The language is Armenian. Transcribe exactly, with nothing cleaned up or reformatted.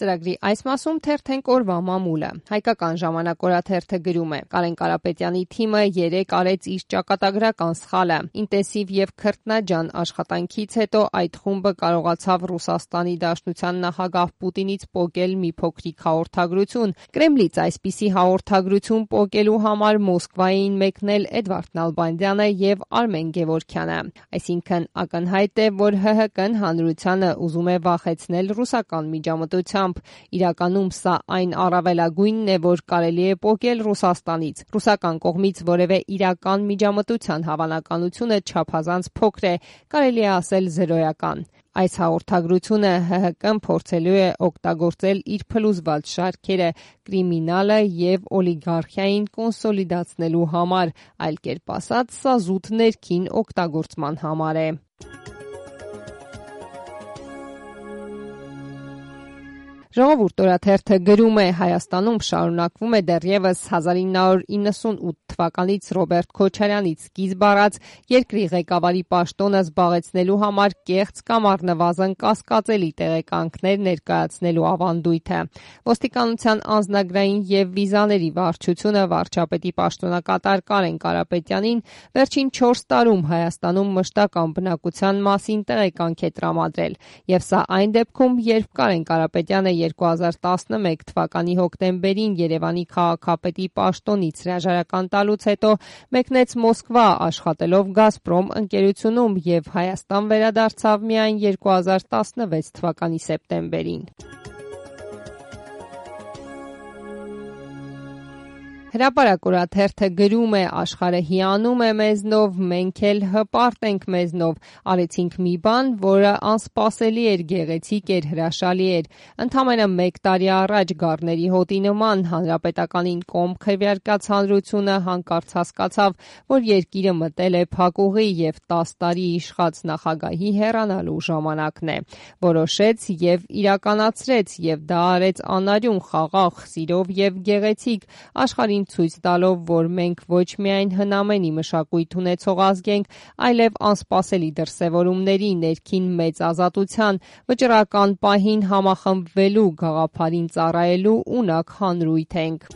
Ծրագրի այս մասում թերթենք օրվա մամուլը։ Հայկական ժամանակ օրաթերթը գրում է. Կարեն Կարապետյանի թիմը երեկ արեց իր ճակատագրական սխալը։ Ինտենսիվ եւ քրտնաջան աշխատանքից հետո այդ խումբը կարողացավ Ռուսաստանի Դաշնության նախագահ Պուտինից պոկել մի փոքրիկ հաղորդագրություն։ Կրեմլից այսպիսի հաղորդագրություն պոկելու համար Մոսկվա էին մեկնել Էդվարդ Նալբանդյանը եւ Արմեն Գևորգյանը։ Այսինքն ակնհայտ է, որ ՀՀԿ-ն հանրությանը ուզում է վախեցնել ռուսական միջամտությամբ։ Իրականում սա այն առավելագույնն է, որ կարելի է պոկել Ռուսաստանից։ Ռուսական կողմից որևէ իրական միջամտության հավանականությունը չափազանց փոքր է, կարելի է ասել զրոյական։ Այս հաղորդագրությունը ՀՀԿ-ն փորձելու է օգտագործել իր փլուզված շարքերը կրիմինալը եւ օլիգարխիային կոնսոլիդացնելու համար, այլ կերպ ասած, սա զուտ ներքին օգտագործման համար է։ Ժողովուրդ օրաթերթը գրում է. Հայաստանում շարունակվում է դեռևս հազար ինը հարյուր իննսունութ թվականից Ռոբերտ Քոչարյանից սկիզբ առած երկրի ղեկավարի պաշտոնը զբաղեցնելու համար կեղծ կամ առնվազն կասկածելի տեղեկանքներ ներկայացնելու ավանդույթը։ Ոստիկանության անձնագրային եւ վիզաների վարչությունը վարչապետի պաշտոնակատար Կարեն Կարապետյանին վերջին չորս տարում Հայաստանում մշտական բնակության մասին տեղեկանք է տրամադրել, եւ սա այն դեպքում, երբ Կարեն Կարապետյանը երկու հազար տասնմեկ թվականի հոկտեմբերին Երևանի քաղաքապետի պաշտոնից հրաժարական տալուց հետո մեկնեց Մոսկվա աշխատելով Գազպրոմ ընկերությունում եւ Հայաստան վերադարձավ միայն երկու հազար տասնվեց թվականի սեպտեմբերին։ Հրապարակ օրաթերթը գրում է. աշխարհը հիանում է մեզնով, մենք էլ հպարտ ենք մեզնով, արեցինք մի բան, որը անսպասելի էր, գեղեցիկ էր, հրաշալի էր։ Ընդամենը մեկ տարի առաջ գառների հոտի նման հանրապետականին կողմ քվեարկած հանրությունը հանկարծ հասկացավ, որ երկիրը մտել է փակուղի եւ տաս տարի իշխած նախագահի հեռանալու ժամանակն է։ Որոշեց եւ իրականացրեց եւ դա արեց անարյուն, խաղաղ, սիրով եւ գեղեցիկ, աշխարհին ցույց տալով, որ մենք ոչ միայն հնամենի մշակույթ ունեցող ազգ ենք, այլև անսպասելի դրսևորումների ներքին մեծ ազատության, վճռական պահին համախմբվելու, գաղափարին ծառայելու ունակ հանրույթ ենք։